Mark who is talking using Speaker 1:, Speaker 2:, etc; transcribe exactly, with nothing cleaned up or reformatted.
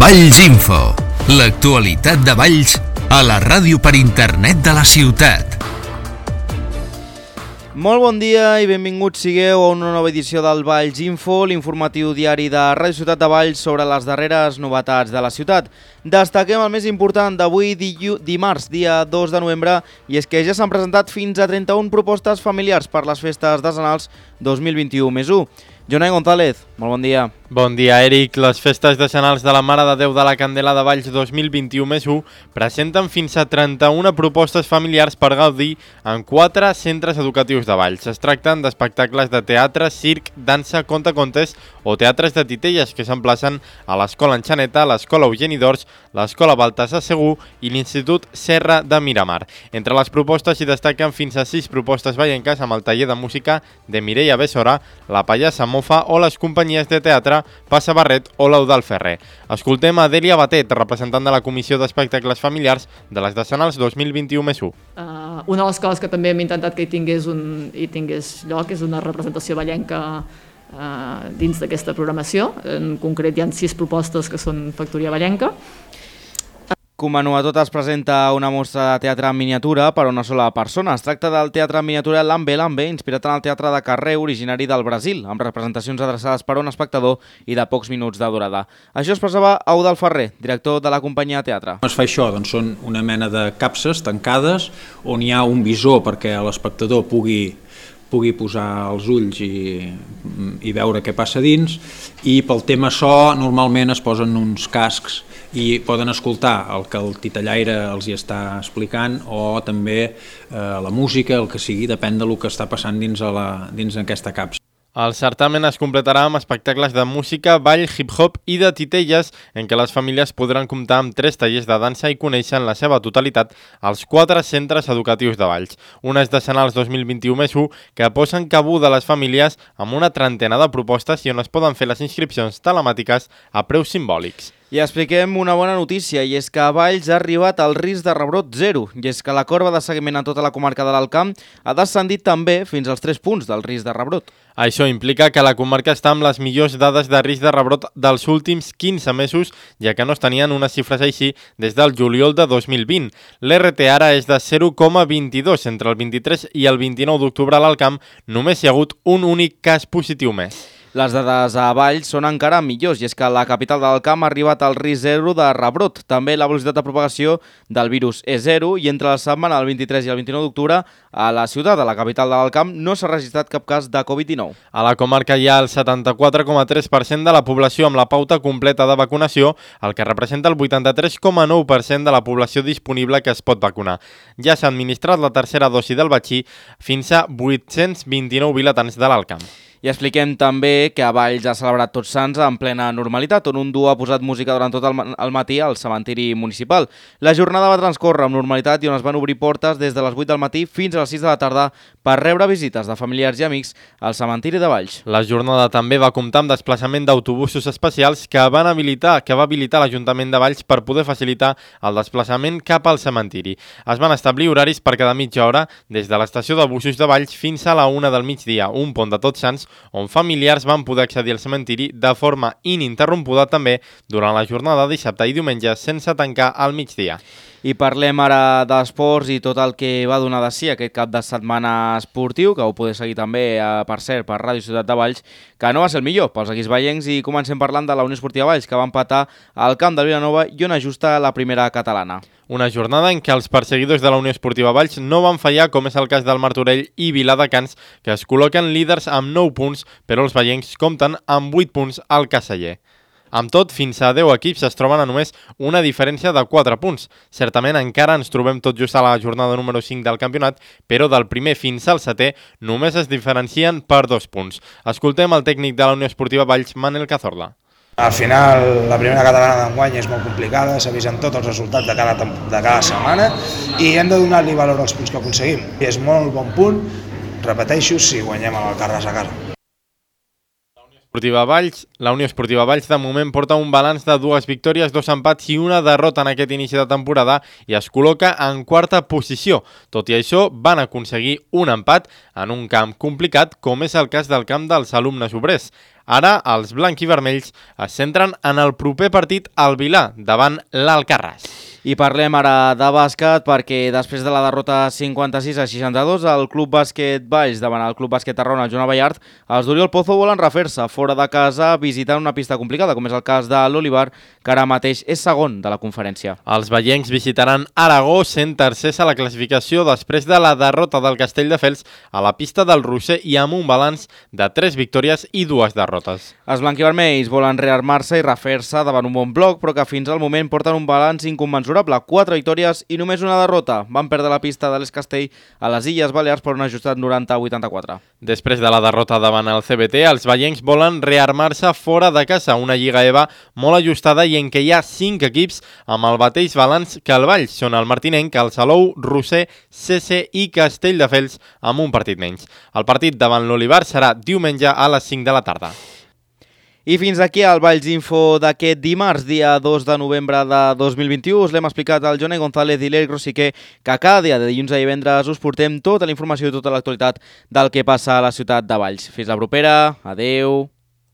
Speaker 1: Valls Info, l'actualitat de Valls a la ràdio per internet de la ciutat.
Speaker 2: Molt bon dia i benvinguts sigueu a una nova edició del Valls Info, l'informatiu diari de Ràdio Ciutat de Valls sobre les darreres novetats de la ciutat. Destaquem el més important d'avui, dimarts, dia dos de novembre, i és que ja s'han presentat fins a trenta-una propostes familiars per les festes decenals dos mil vint-i-u més u. Jonai González, molt bon dia.
Speaker 3: Bon dia, Eric. Les festes decenals de la Mare de Déu de la Candela de Valls dos mil vint-i-u més u presenten fins a trenta-una propostes familiars per gaudir en quatre centres educatius de Valls. Es tracten d'espectacles de teatre, circ, dansa, contacontes o teatres de titelles que s'emplacen a l'Escola Enxaneta, l'Escola Eugeni d'Ors, l'Escola Baltasar Segur i l'Institut Serra de Miramar. Entre les propostes s'hi destaquen fins a sis propostes vallenques amb el taller de música de Mireia Bessora, la Pallassa Mofa o les companyies de teatre Passa Barret o l'Eudal Ferrer. Escoltem a Dèlia Batet, representant de la Comissió d'Espectacles Familiars de les decenals dos mil vint-i-u més u.
Speaker 4: Uh, una de les coses que també hem intentat que hi tingués, un, hi tingués lloc és una representació vallenca uh, dins d'aquesta programació. En concret hi ha sis propostes que són factoria vallenca.
Speaker 2: Com a novetat es presenta una mostra de teatre en miniatura per a una sola persona. Es tracta del teatre en miniatura Lambe Lambe, inspirat en el teatre de carrer originari del Brasil, amb representacions adreçades per a un espectador i de pocs minuts de durada. Això expressava Eudal Ferrer, director de la companyia de teatre.
Speaker 5: Com es fa això? Doncs són una mena de capses tancades on hi ha un visor perquè l'espectador pugui pugui posar els ulls i, i veure què passa dins, i pel tema so normalment es posen uns cascs i poden escoltar el que el titellaire els hi està explicant o també eh, la música, el que sigui, depèn del que està passant dins, a la, dins aquesta capsa.
Speaker 3: El certamen es completarà amb espectacles de música, ball, hip-hop i de titelles en què les famílies podran comptar amb tres tallers de dansa i conèixer en la seva totalitat els quatre centres educatius de Valls. Unes decenals dos mil vint-i-u més u que posen cabuda a les famílies amb una trentena de propostes i on es poden fer les inscripcions telemàtiques a preus simbòlics.
Speaker 2: I expliquem una bona notícia, i és que a Valls ha arribat el risc de rebrot zero, i és que la corba de seguiment a tota la comarca de l'Alt Camp ha descendit també fins als tres punts del risc de rebrot.
Speaker 3: Això implica que la comarca està amb les millors dades de risc de rebrot dels últims quinze mesos, ja que no es tenien unes xifres així des del juliol de dos mil vint. L'R T ara és de zero coma vint-i-dos. Entre el vint-i-tres i el vint-i-nou d'octubre a l'Alt Camp només hi ha hagut un únic cas positiu més.
Speaker 2: Les dades a Valls són encara millors, i és que la capital del Camp ha arribat al risc zero de rebrot. També la velocitat de propagació del virus és zero, i entre la setmana del vint-i-tres i el vint-i-nou d'octubre a la ciutat, a la capital del Camp, no s'ha registrat cap cas de covid dinou.
Speaker 3: A la comarca hi ha el setanta-quatre coma tres per cent de la població amb la pauta completa de vacunació, el que representa el vuitanta-tres coma nou per cent de la població disponible que es pot vacunar. Ja s'ha administrat la tercera dosi del vaccí fins a vuit-cents vint-i-nou vilatans de l'Alt Camp.
Speaker 2: I expliquem també que a Valls ha celebrat Tots Sants en plena normalitat, on un duo ha posat música durant tot el matí al cementiri municipal. La jornada va transcórrer amb normalitat i on es van obrir portes des de les vuit del matí fins a les sis de la tarda per rebre visites de familiars i amics al cementiri de Valls.
Speaker 3: La jornada també va comptar amb desplaçament d'autobusos especials que van habilitar que va habilitar l'Ajuntament de Valls per poder facilitar el desplaçament cap al cementiri. Es van establir horaris per cada mitja hora des de l'estació de busos de Valls fins a la una del migdia, un pont de Tots Sants on familiars van poder accedir al cementiri de forma ininterrompuda també durant la jornada de dissabte i diumenge sense tancar al migdia.
Speaker 2: I parlem ara d'esports i tot el que va donar de si aquest cap de setmana esportiu, que ho podeu seguir també, per cert, per Ràdio Ciutat de Valls, que no va ser el millor pels equips vallencs, i comencem parlant de la Unió Esportiva Valls, que va empatar al camp del Vilanova i on ajusta la primera catalana.
Speaker 3: Una jornada en què els perseguidors de la Unió Esportiva Valls no van fallar, com és el cas del Martorell i Viladecans, que es col·loquen líders amb nou punts, però els vallencs compten amb vuit punts al Caseller. Amb tot, fins a deu equips es troben a només una diferència de quatre punts. Certament encara ens trobem tot just a la jornada número cinc del campionat, però del primer fins al setè només es diferencien per dos punts. Escoltem el tècnic de la Unió Esportiva Valls, Manel Cazorla.
Speaker 6: Al final, la primera catalana d'enguany és molt complicada, s'avisen tots els resultats de cada, de cada setmana i hem de donar-li valor als punts que aconseguim. I és molt bon punt, repeteixo, si guanyem amb el Carràs a casa.
Speaker 3: Esportiva Valls, la Unió Esportiva Valls de moment porta un balanç de dues victòries, dos empats i una derrota en aquest inici de temporada i es col·loca en quarta posició. Tot i això, van aconseguir un empat en un camp complicat com és el cas del camp dels alumnes obrers. Ara, els blanc-i-vermells es centren en el proper partit al Vilà, davant l'Alcarràs.
Speaker 2: I parlem ara de bàsquet perquè després de la derrota cinquanta-sis a seixanta-dos al Club Bàsquet Valls davant el Club Bàsquet Tarragona, Joan Ballart, els d'Oriol Pozo volen refer-se fora de casa visitant una pista complicada, com és el cas de l'Olivar, que ara mateix és segon de la conferència.
Speaker 3: Els veiencs visitaran Aragó, sent tercers a la classificació després de la derrota del Castelldefels a la pista del Roser i amb un balanç de tres victòries i dues derrotes.
Speaker 2: Els blanquivermells volen rearmar-se i refer-se davant un bon bloc, però que fins al moment porten un balanç inconmensurable. Quatre victòries i només una derrota. Van perdre la pista de l'Escastell a les Illes Balears per un ajustat noranta a vuitanta-quatre.
Speaker 3: Després de la derrota davant el C B T, els veiencs volen rearmar-se fora de casa, una Lliga E V A molt ajustada i en què hi ha cinc equips amb el mateix balanç que el Valls. Són el Martinenc, el Salou, Roser, C C i Castelldefels amb un partit menys. El partit davant l'Olivar serà diumenge a les cinc de la tarda.
Speaker 2: I fins aquí el Valls Info d'aquest dimarts, dia dos de novembre de dos mil vint-i-u. Us l'hem explicat al Johnny González i l'Eric Rosiquer, que cada dia de dilluns a divendres us portem tota la informació i tota l'actualitat del que passa a la ciutat de Valls. Fins la propera, adeu.